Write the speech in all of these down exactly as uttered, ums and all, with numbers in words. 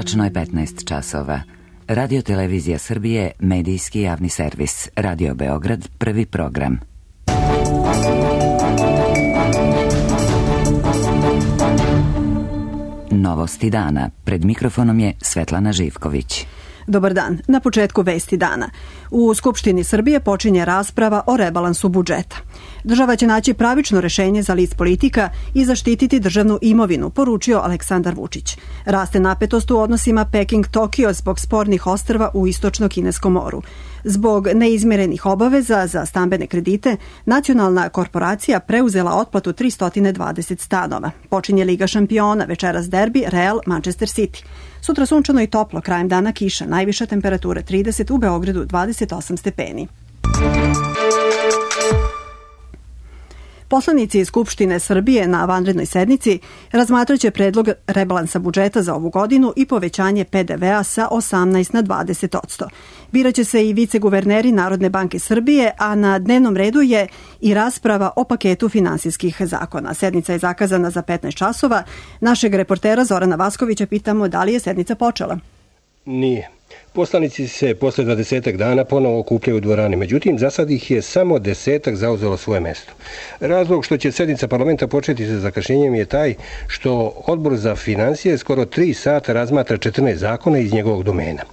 Tačno je petnaest časova. Radio Televizija Srbije, medijski javni servis. Radio Beograd, prvi program. Novosti dana. Pred mikrofonom je Svetlana Živković. Dobar dan. Na početku vesti dana. U Skupštini Srbije počinje rasprava o rebalansu budžeta. Država će naći pravično rešenje za list politika i zaštititi državnu imovinu, poručio Aleksandar Vučić. Raste napetost u odnosima Peking-Tokio zbog spornih ostrva u istočno-kineskom moru. Zbog neizmirenih obaveza za stambene kredite, nacionalna korporacija preuzela otplatu tristo dvadeset stanova. Počinje Liga šampiona, večeras derbi Real Manchester City. Sutra sunčano i toplo, krajem dana kiša, najviša temperatura trideset, u Beogradu dvadeset osam stepeni. Poslanici iz Skupštine Srbije na vanrednoj sednici razmatraće predlog rebalansa budžeta za ovu godinu i povećanje pe de ve a sa osamnaest na dvadeset odsto. Biraće se i viceguverneri Narodne banke Srbije, a na dnevnom redu je i rasprava o paketu finansijskih zakona. Sednica je zakazana za petnaest časova. Našeg reportera Zorana Vaskovića pitamo da li je sednica počela. Nije. Poslanici se posle dvadesetak dana ponovo okupljaju u dvorani, međutim, za sad ih je samo desetak zauzelo svoje mesto. Razlog što će sednica parlamenta početi sa zakašnjenjem je taj što Odbor za financije skoro tri sata razmatra četrnaest zakona iz njegovog domena.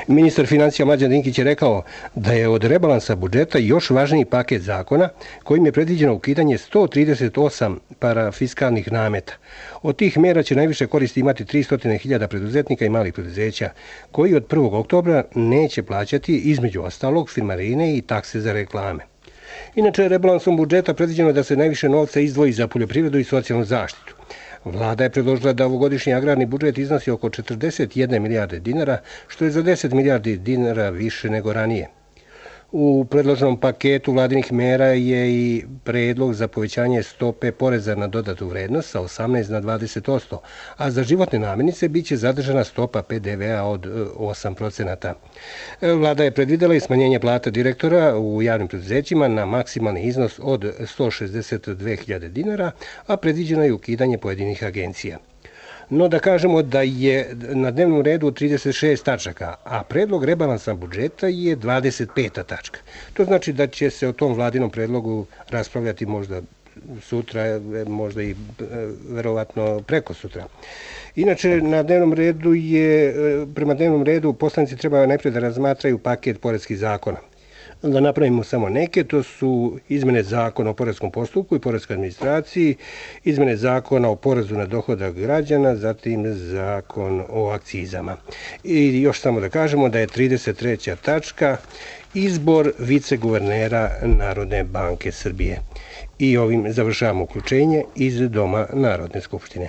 Ministar financija Mlađan Dinkić je rekao da je od rebalansa budžeta još važniji paket zakona kojim je predviđeno ukidanje sto trideset osam parafiskalnih nameta. Od tih mera će najviše koristi imati tristo hiljada preduzetnika i malih preduzeća, koji od prvog oktobra neće plaćati, između ostalog, firmarine i takse za reklame. Inače, rebalansom budžeta predviđeno je da se najviše novca izdvoji za poljoprivredu i socijalnu zaštitu. Vlada je predložila da ovogodišnji agrarni budžet iznosi oko četrdeset jedne milijarde dinara, što je za deset milijardi dinara više nego ranije. U predloženom paketu vladinih mera je i predlog za povećanje stope poreza na dodatu vrednost sa osamnaest na dvadeset odsto, a za životne namirnice biće zadržana stopa pe de ve a od osam procenata. Vlada je predvidela i smanjenje plata direktora u javnim preduzećima na maksimalni iznos od sto šezdeset dve hiljade dinara, a predviđeno je ukidanje pojedinih agencija. No da kažemo da je na dnevnom redu trideset šest tačaka, a predlog rebalansa budžeta je dvadeset peta tačka. To znači da će se o tom vladinom predlogu raspravljati možda sutra, možda i verovatno preko sutra. Inače, na dnevnom redu je, prema dnevnom redu poslanici treba najprije da razmatraju paket poreskih zakona. Da napravimo samo neke, to su izmene zakona o poreskom postupku i poreskoj administraciji, izmene zakona o porezu na dohodak građana, zatim zakon o akcizama. I još samo da kažemo da je trideset treća tačka izbor viceguvernera Narodne banke Srbije. I ovim završavamo uključenje iz Doma Narodne skupštine.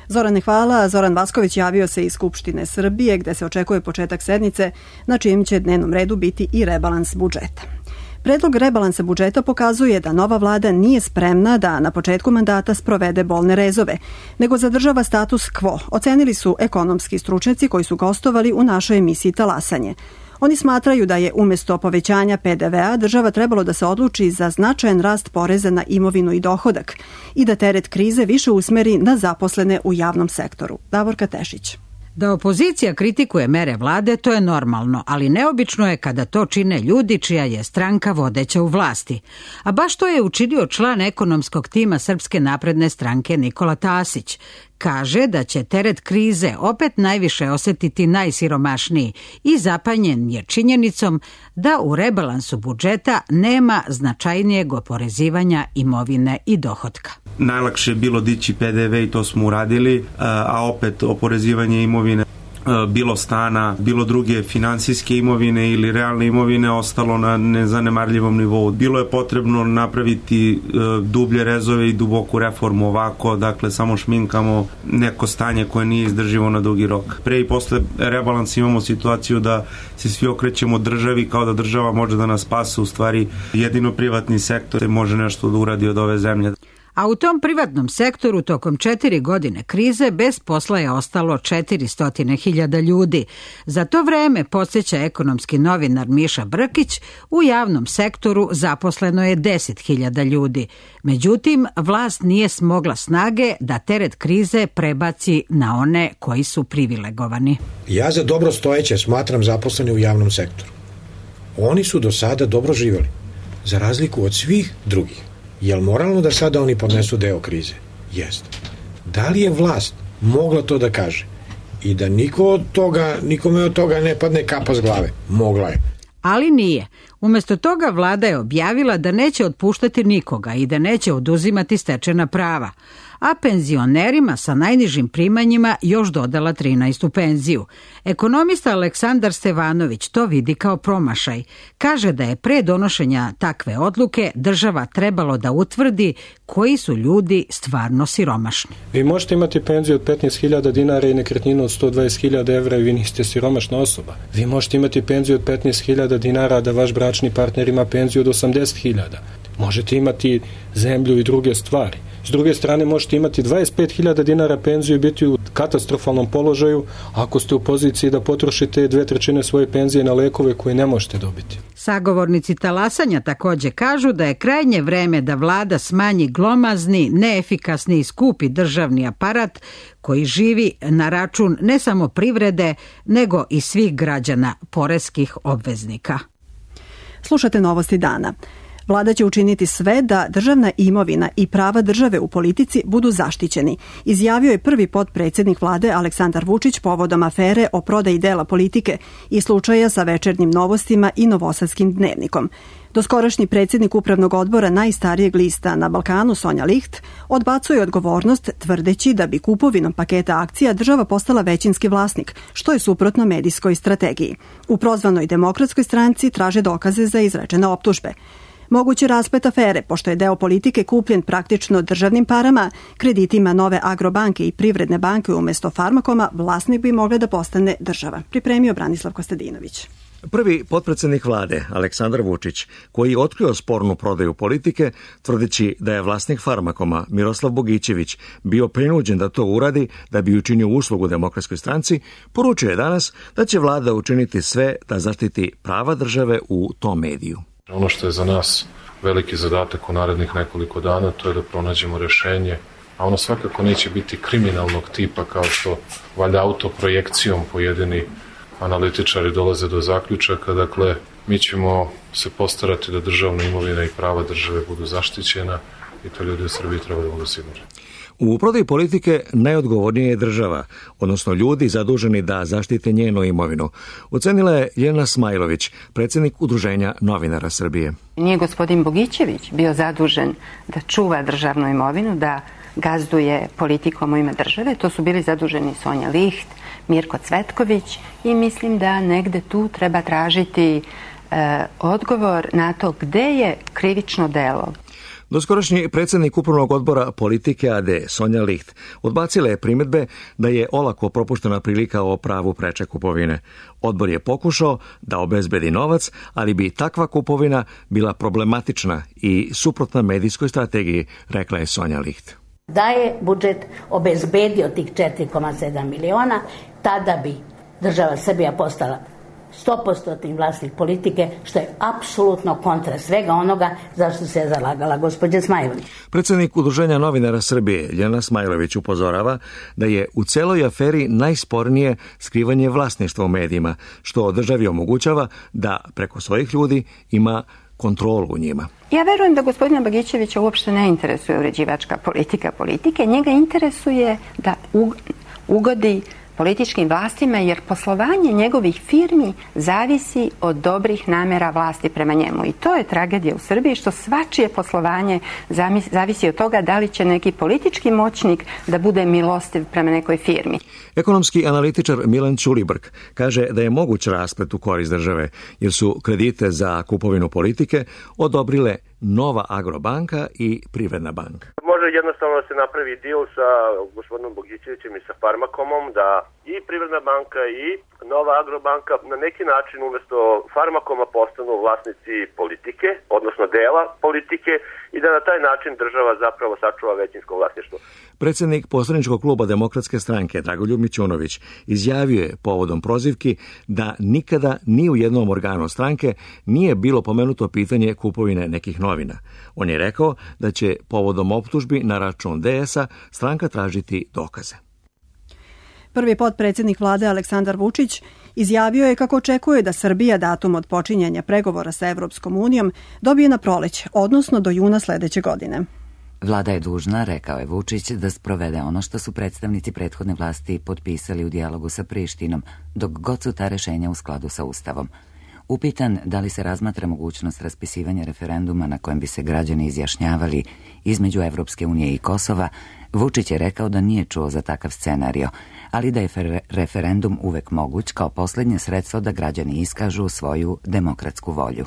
Zorane, hvala. Zoran Vasković javio se iz Skupštine Srbije, gde se očekuje početak sednice, na čijem će dnevnom redu biti i rebalans budžeta. Predlog rebalansa budžeta pokazuje da nova vlada nije spremna da na početku mandata sprovede bolne rezove, nego zadržava status quo, ocenili su ekonomski stručnjaci koji su gostovali u našoj emisiji Talasanje. Oni smatraju da je umjesto povećanja pe de ve a država trebalo da se odluči za značajan rast poreza na imovinu i dohodak i da teret krize više usmeri na zaposlene u javnom sektoru. Davorka Tešić. Da opozicija kritikuje mere vlade, to je normalno, ali neobično je kada to čine ljudi čija je stranka vodeća u vlasti. A baš to je učinio član ekonomskog tima Srpske napredne stranke Nikola Tasić. Kaže da će teret krize opet najviše osetiti najsiromašniji i zapanjen je činjenicom da u rebalansu budžeta nema značajnijeg oporezivanja imovine i dohotka. Najlakše je bilo dići pe de ve i to smo uradili, a opet oporezivanje imovine, bilo stana, bilo druge finansijske imovine ili realne imovine ostalo na nezanemarljivom nivou. Bilo je potrebno napraviti dublje rezove i duboku reformu, ovako, dakle, samo šminkamo neko stanje koje nije izdrživo na dugi rok. Pre i posle rebalansa imamo situaciju da se svi okrećemo državi kao da država može da nas spase, u stvari jedino privatni sektor može nešto da uradi od ove zemlje. A u tom privatnom sektoru tokom četiri godine krize bez posla je ostalo četiristo hiljada ljudi. Za to vreme, podsjeća ekonomski novinar Miša Brkić, u javnom sektoru zaposleno je deset hiljada ljudi. Međutim, vlast nije smogla snage da teret krize prebaci na one koji su privilegovani. Ja za dobro stojeće smatram zaposlene u javnom sektoru. Oni su do sada dobro živjeli, za razliku od svih drugih. Je li moralno da sada oni podnesu deo krize? Jeste. Da li je vlast mogla to da kaže i da niko od toga, nikome od toga ne padne kapa s glave? Mogla je. Ali nije. Umjesto toga vlada je objavila da neće otpuštati nikoga i da neće oduzimati stečena prava, a penzionerima sa najnižim primanjima još dodala trinaestu penziju. Ekonomista Aleksandar Stevanović to vidi kao promašaj. Kaže da je pre donošenja takve odluke država trebalo da utvrdi koji su ljudi stvarno siromašni. Vi možete imati penziju od petnaest hiljada dinara i nekretninu od sto dvadeset hiljada evra i vi niste siromašna osoba. Vi možete imati penziju od petnaest hiljada dinara, da vaš bračni partner ima penziju od osamdeset hiljada. Možete imati zemlju i druge stvari. S druge strane, možete imati dvadeset pet hiljada dinara penziju i biti u katastrofalnom položaju ako ste u poziciji da potrošite dve trećine svoje penzije na lekove koje ne možete dobiti. Sagovornici talasanja također kažu da je krajnje vreme da vlada smanji glomazni, neefikasni i skupi državni aparat koji živi na račun ne samo privrede, nego i svih građana, poreskih obveznika. Slušate Novosti dana. Vlada će učiniti sve da državna imovina i prava države u politici budu zaštićeni, izjavio je prvi potpredsjednik vlade Aleksandar Vučić povodom afere o prodaji dela politike i slučaja sa Večernjim novostima i Novosadskim dnevnikom. Doskorašnji predsjednik upravnog odbora najstarijeg lista na Balkanu, Sonja Licht, odbacuje odgovornost tvrdeći da bi kupovinom paketa akcija država postala većinski vlasnik, što je suprotno medijskoj strategiji. U prozvanoj Demokratskoj stranci traže dokaze za izrečene optužbe. Mogući rasplet afere, pošto je deo politike kupljen praktično državnim parama, kreditima Nove Agrobanke i Privredne banke umjesto Farmakoma, vlasnik bi mogla da postane država. Pripremio Branislav Kostadinović. Prvi potpredsjednik vlade, Aleksandar Vučić, koji je otkrio spornu prodaju politike, tvrdeći da je vlasnik Farmakoma, Miroslav Bogićević, bio prinuđen da to uradi da bi učinio uslugu Demokratskoj stranci, poručio je danas da će vlada učiniti sve da zaštiti prava države u tom mediju. Ono što je za nas veliki zadatak u narednih nekoliko dana, to je da pronađemo rešenje, a ono svakako neće biti kriminalnog tipa kao što valjda autoprojekcijom pojedini analitičari dolaze do zaključaka. Dakle, mi ćemo se postarati da državna imovina i prava države budu zaštićena i to ljudi u Srbiji treba da budu sigurni. U prodaji politike najodgovornije je država, odnosno ljudi zaduženi da zaštite njenu imovinu, ocenila je Ljiljana Smajlović, predsjednik Udruženja novinara Srbije. Nije gospodin Bogićević bio zadužen da čuva državnu imovinu, da gazduje politikom u ime države. To su bili zaduženi Sonja Licht, Mirko Cvetković i mislim da negde tu treba tražiti e, odgovor na to gde je krivično delo. Doskorašnji predsjednik upravnog odbora politike A D, Sonja Licht, odbacila je primjedbe da je olako propuštena prilika o pravu preče kupovine. Odbor je pokušao da obezbedi novac, ali bi takva kupovina bila problematična i suprotna medijskoj strategiji, rekla je Sonja Licht. Da je budžet obezbedio tih četiri zarez sedam miliona, tada bi država Srbija postala sto posto vlasnik politike, što je apsolutno kontra svega onoga zašto se je zalagala gospođa Smajlović. Predsjednik Udruženja novinara Srbije, Ljiljana Smajlović, upozorava da je u celoj aferi najspornije skrivanje vlasništva u medijima, što državi omogućava da preko svojih ljudi ima kontrolu u njima. Ja verujem da gospodina Bogićevića uopšte ne interesuje uređivačka politika politike. Njega interesuje da ugodi političkim vlastima, jer poslovanje njegovih firmi zavisi od dobrih namera vlasti prema njemu. I to je tragedija u Srbiji, što svačije poslovanje zavisi od toga da li će neki politički moćnik da bude milostiv prema nekoj firmi. Ekonomski analitičar Milan Ćulibrk kaže da je moguć rasplet u korist države, jer su kredite za kupovinu politike odobrile Nova Agrobanka i Privredna banka. Može može jednostavno da se napravi deal sa gospodinom Bogićevićem i sa Farmakomom, da i Privredna banka i Nova Agrobanka na neki način umesto Farmakoma postanu vlasnici politike, odnosno dela politike, i da na taj način država zapravo sačuva većinsko vlasništvo. Predsjednik poslaničkog kluba Demokratske stranke Dragoljub Mićunović izjavio je povodom prozivki da nikada ni u jednom organu stranke nije bilo pomenuto pitanje kupovine nekih novina. On je rekao da će povodom optužbi na račun D S-a stranka tražiti dokaze. Prvi potpredsjednik vlade Aleksandar Vučić izjavio je kako očekuje da Srbija datum od počinjanja pregovora sa Evropskom unijom dobije na proleće, odnosno do juna sledeće godine. Vlada je dužna, rekao je Vučić, da sprovede ono što su predstavnici prethodne vlasti potpisali u dijalogu sa Prištinom, dok god su ta rešenja u skladu sa Ustavom. Upitan da li se razmatra mogućnost raspisivanja referenduma na kojem bi se građani izjašnjavali između Evropske unije i Kosova, Vučić je rekao da nije čuo za takav scenario, ali da je referendum uvek moguć kao posljednje sredstvo da građani iskažu svoju demokratsku volju.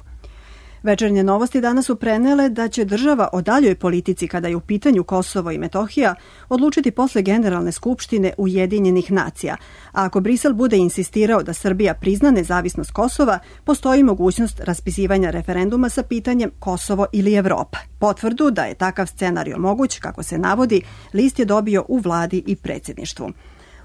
Večernje novosti danas su prenele da će država o daljoj politici kada je u pitanju Kosovo i Metohija odlučiti posle Generalne skupštine Ujedinjenih nacija. A ako Brisel bude insistirao da Srbija prizna nezavisnost Kosova, postoji mogućnost raspisivanja referenduma sa pitanjem Kosovo ili Evropa. Potvrdu da je takav scenario moguć, kako se navodi, list je dobio u vladi i predsjedništvu.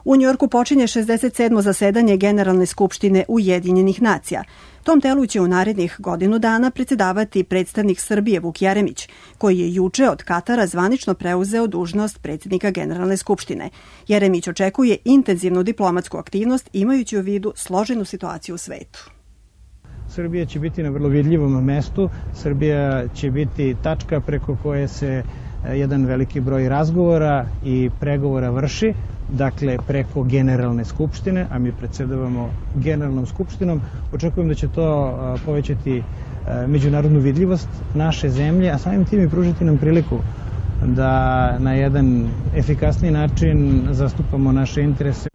U Njujorku počinje šezdeset sedmo zasedanje Generalne skupštine Ujedinjenih nacija. Tom telu će u narednih godinu dana predsjedavati predstavnik Srbije Vuk Jeremić, koji je juče od Katara zvanično preuzeo dužnost predsjednika Generalne skupštine. Jeremić očekuje intenzivnu diplomatsku aktivnost imajući u vidu složenu situaciju u svetu. Srbija će biti na vrlo vidljivom mestu. Srbija će biti tačka preko koje se jedan veliki broj razgovora i pregovora vrši, dakle preko Generalne skupštine, a mi predsjedavamo Generalnom skupštinom. Očekujem da će to povećati međunarodnu vidljivost naše zemlje, a samim tim i pružiti nam priliku da na jedan efikasniji način zastupamo naše interese.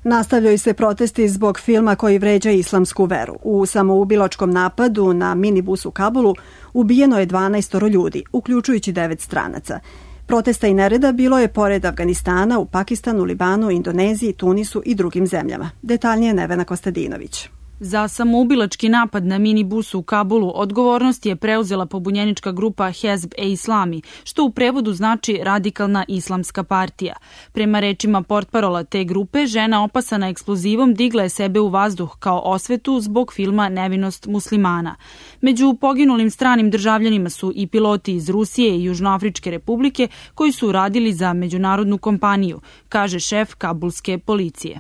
Nastavljaju se protesti zbog filma koji vređa islamsku veru. U samoubilačkom napadu na minibus u Kabulu ubijeno je dvanaestoro ljudi, uključujući devet stranaca. Protesta i nereda bilo je pored Afganistana, u Pakistanu, Libanu, Indoneziji, Tunisu i drugim zemljama. Detaljnije Nevena Kostadinović. Za samoubilački napad na minibusu u Kabulu odgovornost je preuzela pobunjenička grupa Hezb e Islami, što u prevodu znači radikalna islamska partija. Prema rečima portparola te grupe, žena opasana eksplozivom digla je sebe u vazduh kao osvetu zbog filma Nevinost muslimana. Među poginulim stranim državljanima su i piloti iz Rusije i Južnoafričke republike koji su radili za međunarodnu kompaniju, kaže šef kabulske policije.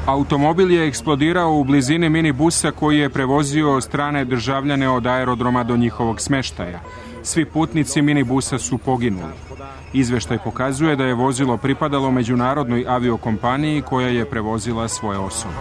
Automobil je eksplodirao u blizini minibusa koji je prevozio strane državljane od aerodroma do njihovog smeštaja. Svi putnici minibusa su poginuli. Izveštaj pokazuje da je vozilo pripadalo međunarodnoj aviokompaniji koja je prevozila svoje osobe.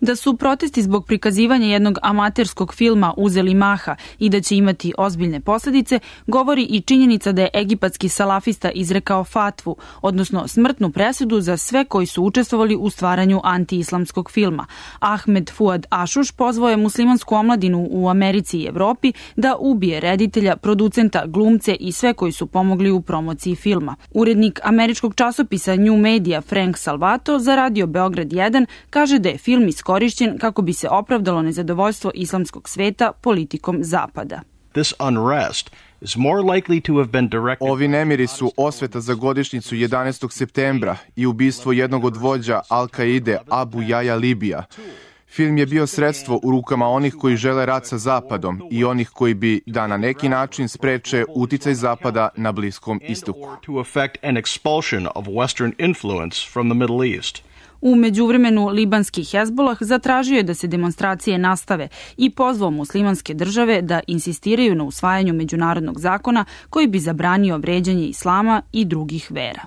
Da su protesti zbog prikazivanja jednog amaterskog filma uzeli maha i da će imati ozbiljne posljedice, govori i činjenica da je egipatski salafista izrekao fatvu, odnosno smrtnu presudu za sve koji su učestvovali u stvaranju antiislamskog filma. Ahmed Fuad Ašuš pozvao je muslimansku omladinu u Americi i Evropi da ubije reditelja, producenta, glumce i sve koji su pomogli u promociji filma. Urednik američkog časopisa New Media Frank Salvato za Radio Beograd jedan kaže da je film iz korišćen kako bi se opravdalo nezadovoljstvo islamskog sveta politikom Zapada. This unrest is more likely to have been directed... Ovi nemiri su osveta za godišnjicu jedanaestog septembra i ubistvo jednog od vođa Al-Kaide Abu Jaja Libija. Film je bio sredstvo u rukama onih koji žele rat sa Zapadom i onih koji bi da na neki način spreče uticaj Zapada na Bliskom istoku. To affect an expulsion of Western influence from the Middle East. U međuvremenu libanski Hezbolah zatražio je da se demonstracije nastave i pozvao muslimanske države da insistiraju na usvajanju međunarodnog zakona koji bi zabranio vređanje islama i drugih vera.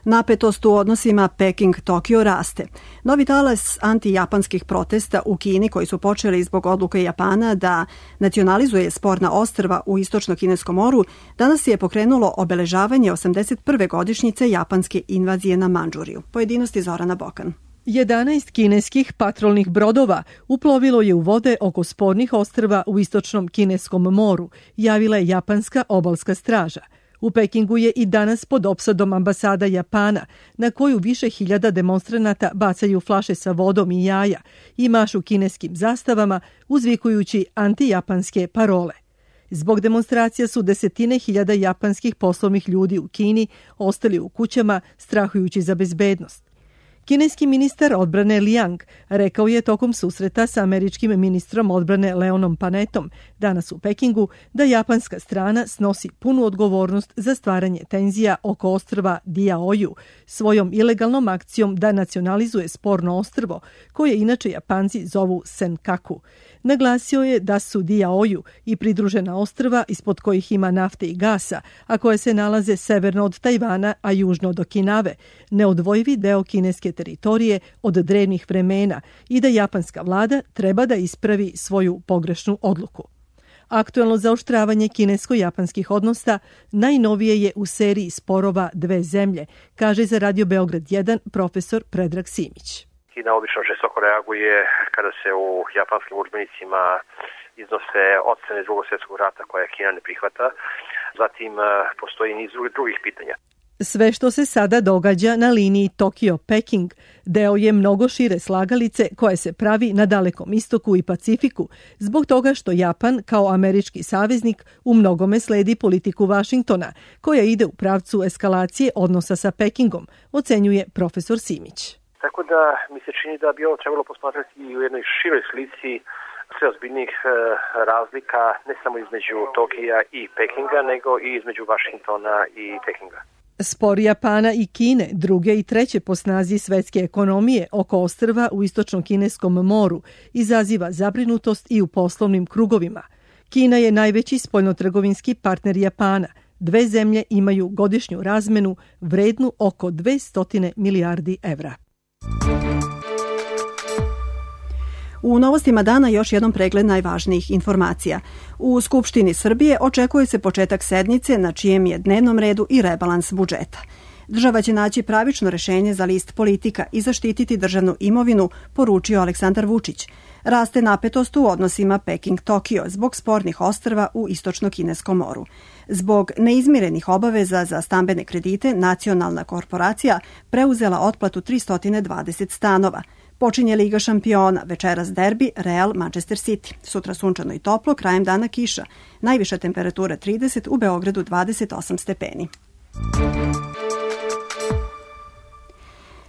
Napetost u odnosima Peking-Tokio raste. Novi talas antijapanskih protesta u Kini koji su počeli zbog odluke Japana da nacionalizuje sporna ostrva u istočno-kineskom moru, danas je pokrenulo obeležavanje osamdeset prve godišnjice japanske invazije na Mandžuriju. Pojedinosti Zorana Bokan. jedanaest kineskih patrolnih brodova uplovilo je u vode oko spornih ostrva u istočnom kineskom moru, javila je japanska obalska straža. U Pekingu je i danas pod opsadom ambasada Japana, na koju više hiljada demonstranata bacaju flaše sa vodom i jaja i mašu kineskim zastavama, uzvikujući antijapanske parole. Zbog demonstracija su desetine hiljada japanskih poslovnih ljudi u Kini ostali u kućama, strahujući za bezbednost. Kineski ministar odbrane Liang rekao je tokom susreta sa američkim ministrom odbrane Leonom Panetom danas u Pekingu da japanska strana snosi punu odgovornost za stvaranje tenzija oko ostrva Diaoju svojom ilegalnom akcijom da nacionalizuje sporno ostrvo, koje inače Japanci zovu Senkaku. Naglasio je da su Diaoju i pridružena ostrva ispod kojih ima nafte i gasa, a koje se nalaze severno od Tajvana, a južno od Okinave, neodvojivi deo kineske teritorije od drevnih vremena i da japanska vlada treba da ispravi svoju pogrešnu odluku. Aktuelno zaoštravanje kinesko-japanskih odnosa najnovije je u seriji sporova dve zemlje, kaže za Radio Beograd jedan profesor Predrag Simić. Kina obično žestoko reaguje kada se u japanskim udžbenicima iznose ocene drugog svjetskog rata koje Kina ne prihvata. Zatim postoji niz drugih pitanja. Sve što se sada događa na liniji Tokio-Peking deo je mnogo šire slagalice koje se pravi na Dalekom istoku i Pacifiku, zbog toga što Japan kao američki saveznik u mnogome sledi politiku Vašingtona, koja ide u pravcu eskalacije odnosa sa Pekingom, ocenjuje profesor Simić. Tako da mi se čini da bi ovo trebalo posmatrati i u jednoj široj slici sve ozbiljnih razlika ne samo između Tokija i Pekinga, nego i između Vašingtona i Pekinga. Spor Japana i Kine, druge i treće po snazi svetske ekonomije oko ostrva u istočnom kineskom moru, izaziva zabrinutost i u poslovnim krugovima. Kina je najveći spoljnotrgovinski partner Japana. Dve zemlje imaju godišnju razmenu vrednu oko dvesta milijardi evra. U novostima dana još jednom pregled najvažnijih informacija. U Skupštini Srbije očekuje se početak sednice na čijem je dnevnom redu i rebalans budžeta. Država će naći pravično rešenje za list politika i zaštititi državnu imovinu, poručio Aleksandar Vučić. Raste napetost u odnosima Peking-Tokio zbog spornih ostrva u istočno-kineskom moru. Zbog neizmirenih obaveza za stambene kredite, nacionalna korporacija preuzela otplatu tristo dvadeset stanova. Počinje Liga šampiona, večeras derbi Real Manchester City. Sutra sunčano i toplo, krajem dana kiša. Najviša temperatura trideset, u Beogradu dvadeset osam stepeni.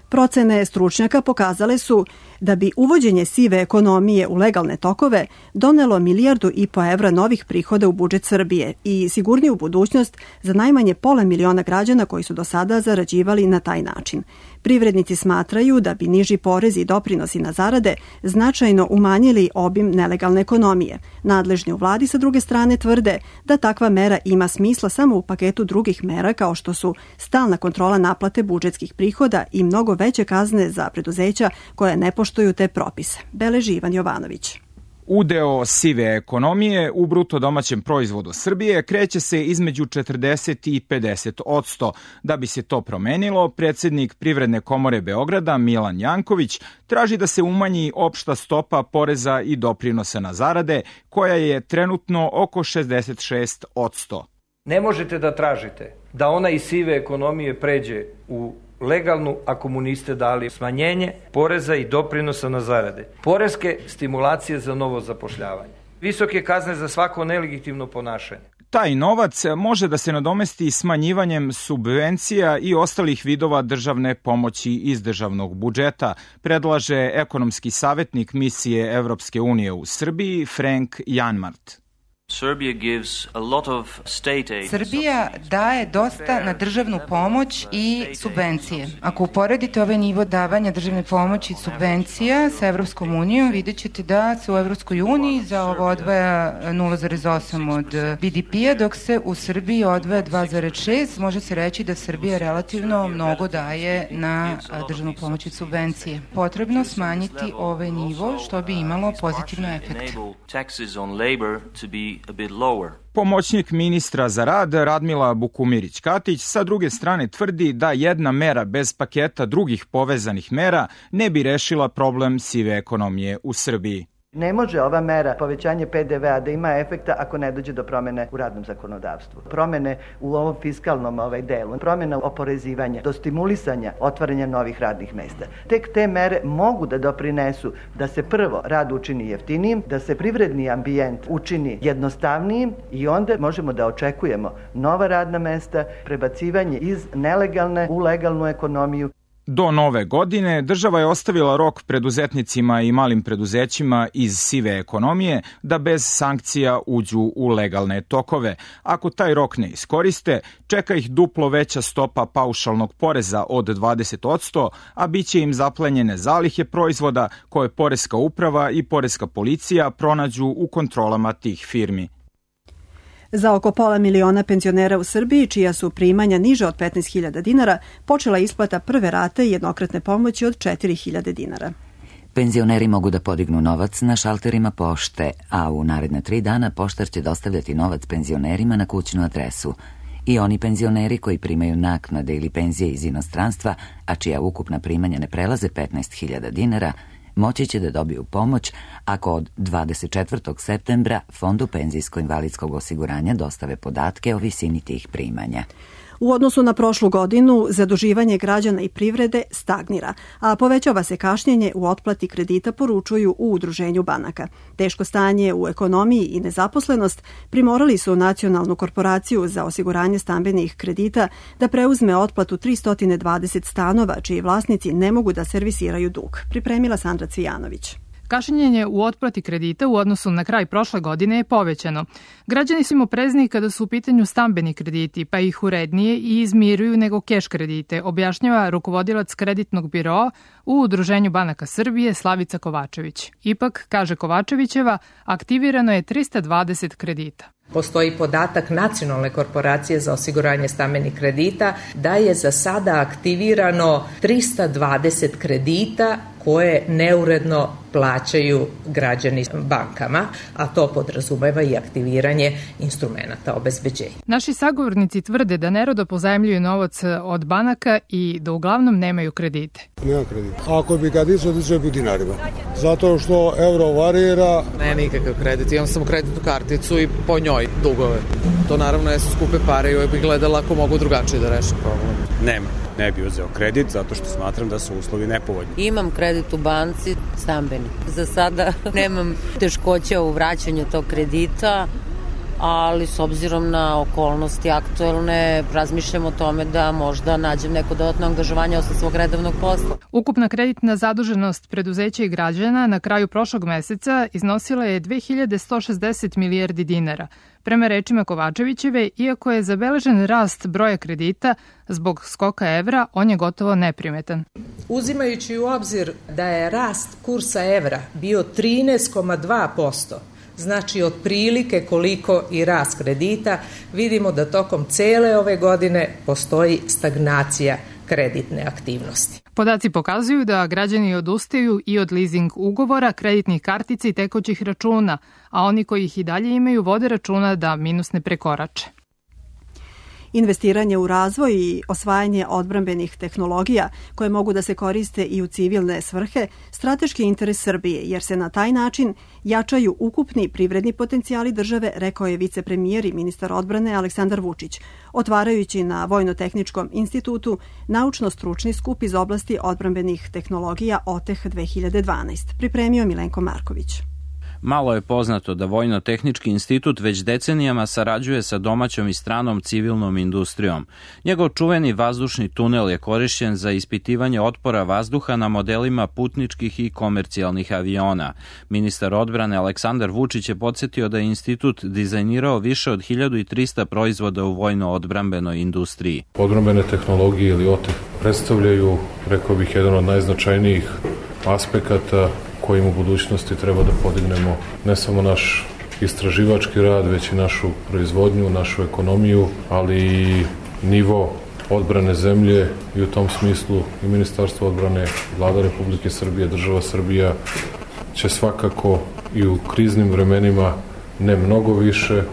Procene stručnjaka pokazale su da bi uvođenje sive ekonomije u legalne tokove donelo milijardu i po evra novih prihoda u budžet Srbije i sigurniju budućnost za najmanje pola miliona građana koji su do sada zarađivali na taj način. Privrednici smatraju da bi niži porezi i doprinosi na zarade značajno umanjili obim nelegalne ekonomije. Nadležni u vladi sa druge strane tvrde da takva mera ima smisla samo u paketu drugih mera kao što su stalna kontrola naplate budžetskih prihoda i mnogo veće kazne za preduzeća koja ne poštuju te propise. Beleži Ivan Jovanović. Udeo sive ekonomije u bruto domaćem proizvodu Srbije kreće se između četrdeset i pedeset odsto. Da bi se to promenilo, predsjednik Privredne komore Beograda Milan Janković traži da se umanji opšta stopa poreza i doprinosa na zarade, koja je trenutno oko šezdeset šest odsto. Ne možete da tražite da ona iz sive ekonomije pređe u legalnu ako mu niste dali smanjenje poreza i doprinosa na zarade, poreske stimulacije za novo zapošljavanje, visoke kazne za svako nelegitimno ponašanje. Taj novac može da se nadomesti smanjivanjem subvencija i ostalih vidova državne pomoći iz državnog budžeta, predlaže ekonomski savjetnik misije Evropske unije u Srbiji Frank Janmart. Srbija daje dosta na državnu pomoć i subvencije. Ako uporedite ovaj nivo davanja državne pomoći i subvencija sa Evropskom unijom, vidjet ćete da se u Evropskoj uniji za ovo odvaja nula zarez osam od B D P-a, dok se u Srbiji odvaja dva zarez šest. Može se reći da Srbija relativno mnogo daje na državnu pomoć i subvencije. Potrebno smanjiti ovaj nivo što bi imalo pozitivno efekt. a bit lower. Pomoćnik ministra za rad Radmila Bukumirić-Katić sa druge strane tvrdi da jedna mera bez paketa drugih povezanih mera ne bi rešila problem sive ekonomije u Srbiji. Ne može ova mera povećanje P D V-a da ima efekta ako ne dođe do promene u radnom zakonodavstvu. Promene u ovom fiskalnom ovaj delu, promena oporezivanja, do stimulisanja otvaranja novih radnih mesta. Tek te mere mogu da doprinesu da se prvo rad učini jeftinijim, da se privredni ambijent učini jednostavnijim i onda možemo da očekujemo nova radna mesta, prebacivanje iz nelegalne u legalnu ekonomiju. Do nove godine država je ostavila rok preduzetnicima i malim preduzećima iz sive ekonomije da bez sankcija uđu u legalne tokove. Ako taj rok ne iskoriste, čeka ih duplo veća stopa paušalnog poreza od dvadeset posto, a bit će im zaplenjene zalihe proizvoda koje Poreska uprava i Poreska policija pronađu u kontrolama tih firmi. Za oko pola miliona penzionera u Srbiji, čija su primanja niže od petnaest hiljada dinara, počela isplata prve rate jednokratne pomoći od četiri hiljade dinara. Penzioneri mogu da podignu novac na šalterima pošte, a u naredne tri dana poštar će dostavljati novac penzionerima na kućnu adresu. I oni penzioneri koji primaju naknade ili penzije iz inostranstva, a čija ukupna primanja ne prelaze petnaest hiljada dinara, moći će da dobiju pomoć ako od dvadeset četvrtog septembra Fondu penzijsko-invalidskog osiguranja dostave podatke o visini tih primanja. U odnosu na prošlu godinu, zaduživanje građana i privrede stagnira, a povećava se kašnjenje u otplati kredita, poručuju u Udruženju banaka. Teško stanje u ekonomiji i nezaposlenost primorali su Nacionalnu korporaciju za osiguranje stambenih kredita da preuzme otplatu tristo dvadeset stanova, čiji vlasnici ne mogu da servisiraju dug. Pripremila Sandra Cvijanović. Kašnjenje u otplati kredita u odnosu na kraj prošle godine je povećano. Građani su im oprezniji kada su u pitanju stambeni krediti, pa ih urednije i izmiruju nego keš kredite, objašnjava rukovodilac kreditnog biroa u Udruženju banaka Srbije Slavica Kovačević. Ipak, kaže Kovačevićeva, aktivirano je trista dvadeset kredita. Postoji podatak Nacionalne korporacije za osiguranje stambenih kredita da je za sada aktivirano trista dvadeset kredita koje neuredno plaćaju građani bankama, a to podrazumeva i aktiviranje instrumenta obezbeđenja. Naši sagovornici tvrde da nerodo pozajmljuju novac od banaka i da uglavnom nemaju kredite. Nema kredita. Ako bi ga dizao, dizao bi u dinarima. Zato što euro varira. Ne, nikakav kredit. Imam samo kreditnu karticu i po njoj dugove. To naravno jesu skupe pare i uvijek bih gledala ako mogu drugačije da rešim problem. Nema. Ne bi uzeo kredit zato što smatram da su uslovi nepovoljni. Imam kredit u banci, stambeni. Za sada nemam teškoća u vraćanju tog kredita, ali s obzirom na okolnosti aktuelne razmišljam o tome da možda nađem neko dodatno angažovanje osim svog redovnog posla. Ukupna kreditna zaduženost preduzeća i građana na kraju prošlog meseca iznosila je dve hiljade sto šezdeset milijardi dinara. Prema rečima Kovačevićeve, iako je zabeležen rast broja kredita zbog skoka evra, on je gotovo neprimetan. Uzimajući u obzir da je rast kursa evra bio trinaest zarez dva posto, znači otprilike koliko i rast kredita, vidimo da tokom cele ove godine postoji stagnacija kreditne aktivnosti. Podaci pokazuju da građani odustaju i od leasing ugovora, kreditnih kartica i tekućih računa, a oni koji ih i dalje imaju vode računa da minus ne prekorače. Investiranje u razvoj i osvajanje odbrambenih tehnologija koje mogu da se koriste i u civilne svrhe strateški interes Srbije, jer se na taj način jačaju ukupni privredni potencijali države, rekao je vicepremijer i ministar odbrane Aleksandar Vučić, otvarajući na Vojno-tehničkom institutu naučno-stručni skup iz oblasti odbrambenih tehnologija O T E H dve hiljade dvanaest. Pripremio Milenko Marković. Malo je poznato da Vojno-tehnički institut već decenijama sarađuje sa domaćom i stranom civilnom industrijom. Njegov čuveni vazdušni tunel je korišćen za ispitivanje otpora vazduha na modelima putničkih i komercijalnih aviona. Ministar odbrane Aleksandar Vučić je podsjetio da je institut dizajnirao više od hiljadu trista proizvoda u vojno-odbrambenoj industriji. Odbrambene tehnologije ili O T E H predstavljaju, rekao bih, jedan od najznačajnijih aspekata kojim u budućnosti treba da podignemo ne samo naš istraživački rad, već i našu proizvodnju, našu ekonomiju, ali i nivo odbrane zemlje i u tom smislu i Ministarstvo odbrane, Vlada Republike Srbije, država Srbija će svakako i u kriznim vremenima ne mnogo više,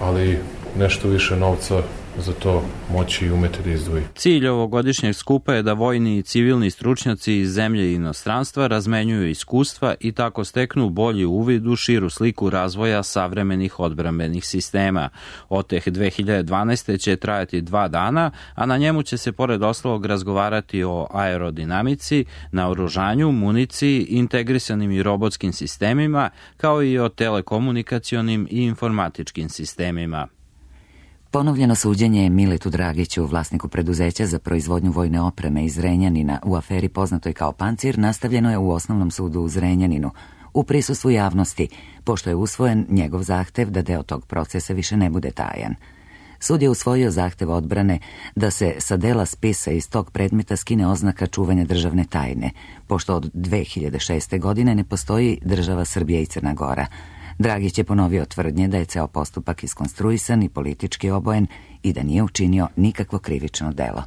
ali nešto više novca za to moći i umeti da izdvoji. Cilj ovogodišnjeg skupa je da vojni i civilni stručnjaci iz zemlje i inostranstva razmenjuju iskustva i tako steknu bolji uvid u širu sliku razvoja savremenih odbrambenih sistema. Oteh dve hiljade dvanaeste. će trajati dva dana, a na njemu će se pored ostalog razgovarati o aerodinamici, naoružanju, municiji, integrisanim i robotskim sistemima, kao i o telekomunikacionim i informatičkim sistemima. Ponovljeno suđenje Miletu Dragiću, vlasniku preduzeća za proizvodnju vojne opreme iz Zrenjanina u aferi poznatoj kao Pancir, nastavljeno je u Osnovnom sudu u Zrenjaninu u prisustvu javnosti, pošto je usvojen njegov zahtev da deo tog procesa više ne bude tajan. Sud je usvojio zahtev odbrane da se sa dela spisa iz tog predmeta skine oznaka čuvanja državne tajne, pošto od dve hiljade šeste. godine ne postoji država Srbija i Crna Gora. Dragić je ponovio tvrdnje da je ceo postupak iskonstruisan i politički obojen i da nije učinio nikakvo krivično delo.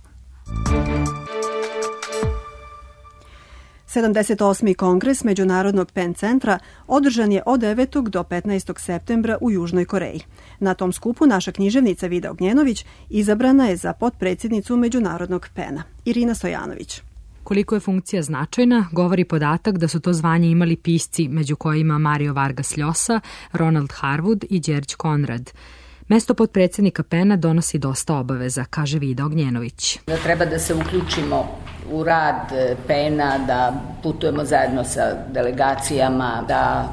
sedamdeset osmi kongres Međunarodnog PEN centra održan je od devetog do petnaestog septembra u Južnoj Koreji. Na tom skupu naša književnica Vida Ognjenović izabrana je za potpredsjednicu Međunarodnog PEN-a. Irina Stojanović. Koliko je funkcija značajna, govori podatak da su to zvanje imali pisci, među kojima Mario Vargas Llosa, Ronald Harwood i Đerđ Konrad. Mesto potpredsjednika PEN-a donosi dosta obaveza, kaže Vida Ognjenović. Da treba da se uključimo u rad PEN-a, da putujemo zajedno sa delegacijama, da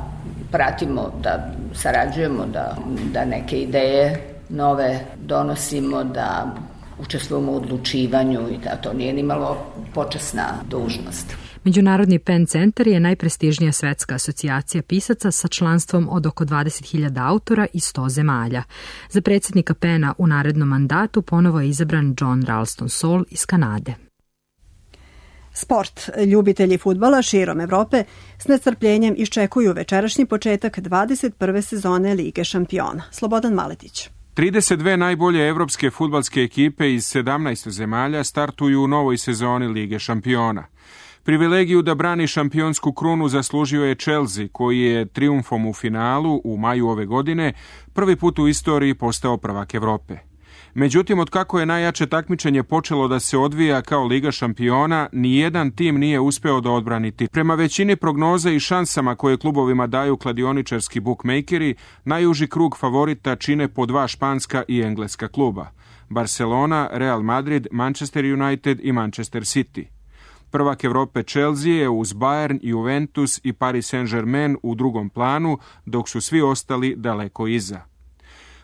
pratimo, da sarađujemo, da, da neke ideje nove donosimo, da učestvujemo u odlučivanju i da to nije nimalo počasna dužnost. Međunarodni PEN centar je najprestižnija svetska asocijacija pisaca sa članstvom od oko dvadeset hiljada autora i sto zemalja. Za predsjednika PEN-a u narednom mandatu ponovo je izabran John Ralston Saul iz Kanade. Sport. Ljubitelji fudbala širom Evrope s nestrpljenjem iščekuju večerašnji početak dvadeset prve sezone Lige šampiona. Slobodan Maletić. trideset dve najbolje evropske fudbalske ekipe iz sedamnaest zemalja startuju u novoj sezoni Lige šampiona. Privilegiju da brani šampionsku krunu zaslužio je Chelsea, koji je trijumfom u finalu u maju ove godine prvi put u istoriji postao prvak Evrope. Međutim, otkako je najjače takmičenje počelo da se odvija kao Liga šampiona, nijedan tim nije uspeo da odbrani titul. Prema većini prognoza i šansama koje klubovima daju kladioničarski bukmejkeri, najuži krug favorita čine po dva španska i engleska kluba: Barcelona, Real Madrid, Manchester United i Manchester City. Prvak Evrope Chelsea je uz Bayern, Juventus i Paris Saint-Germain u drugom planu, dok su svi ostali daleko iza.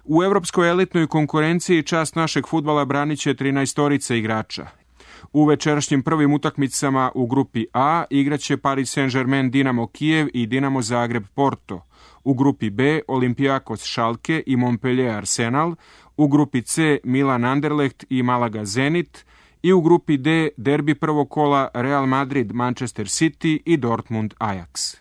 U evropskoj elitnoj konkurenciji čast našeg fudbala branit će trinaestorica igrača. U večerašnjim prvim utakmicama u grupi A igraće Paris Saint-Germain Dinamo Kijev i Dinamo Zagreb Porto. U grupi B Olympiakos Schalke i Montpellier Arsenal. U grupi C Milan Anderlecht i Malaga Zenit. I u grupi D derbi prvog kola Real Madrid Manchester City i Dortmund Ajax.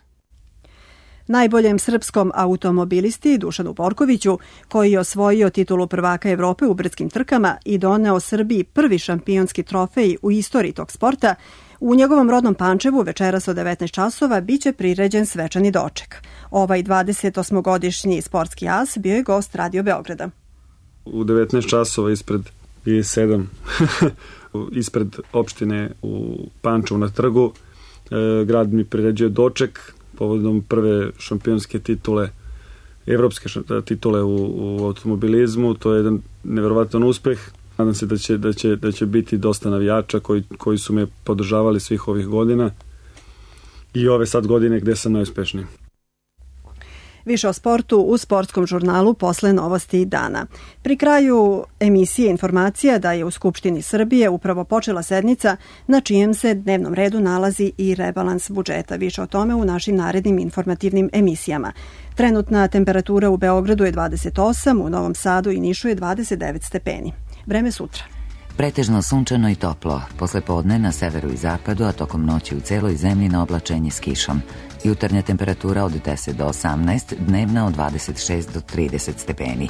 Najboljem srpskom automobilisti Dušanu Borkoviću, koji je osvojio titulu prvaka Evrope u brdskim trkama i doneo Srbiji prvi šampionski trofej u istoriji tog sporta, u njegovom rodnom Pančevu večeras od devetnaest časova biće priređen svečani doček. Ovaj dvadesetosmogodišnji sportski as bio je gost Radio Beograda. U devetnaest časova ispred i sedam ispred opštine u Pančevu na trgu grad mi priređuje doček povodom prve šampionske titule, evropske titule u, u automobilizmu. To je jedan neverovatan uspeh. Nadam se da će, da će, da će biti dosta navijača koji, koji su me podržavali svih ovih godina i ove sad godine gde sam najuspešniji. Više o sportu u sportskom žurnalu posle novosti dana. Pri kraju emisije informacija da je u Skupštini Srbije upravo počela sednica na čijem se dnevnom redu nalazi i rebalans budžeta. Više o tome u našim narednim informativnim emisijama. Trenutna temperatura u Beogradu je dvadeset osam, u Novom Sadu i Nišu je dvadeset devet stepeni. Vreme sutra. Pretežno sunčano i toplo. Posle podne na severu i zapadu, a tokom noći u celoj zemlji na oblačenje s kišom. Jutarnja temperatura od deset do osamnaest, dnevna od dvadeset šest do trideset stepeni.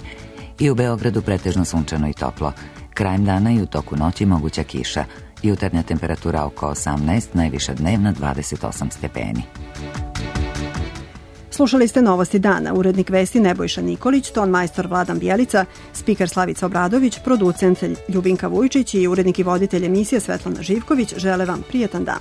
I u Beogradu pretežno sunčano i toplo. Krajem dana i u toku noći moguća kiša. Jutarnja temperatura oko osamnaest, najviša dnevna dvadeset osam stepeni. Slušali ste Novosti dana, urednik vesti Nebojša Nikolić, ton majstor Vladan Bjelica, spiker Slavica Obradović, producent Ljubinka Vujčić i urednik i voditelj emisije Svetlana Živković žele vam prijetan dan.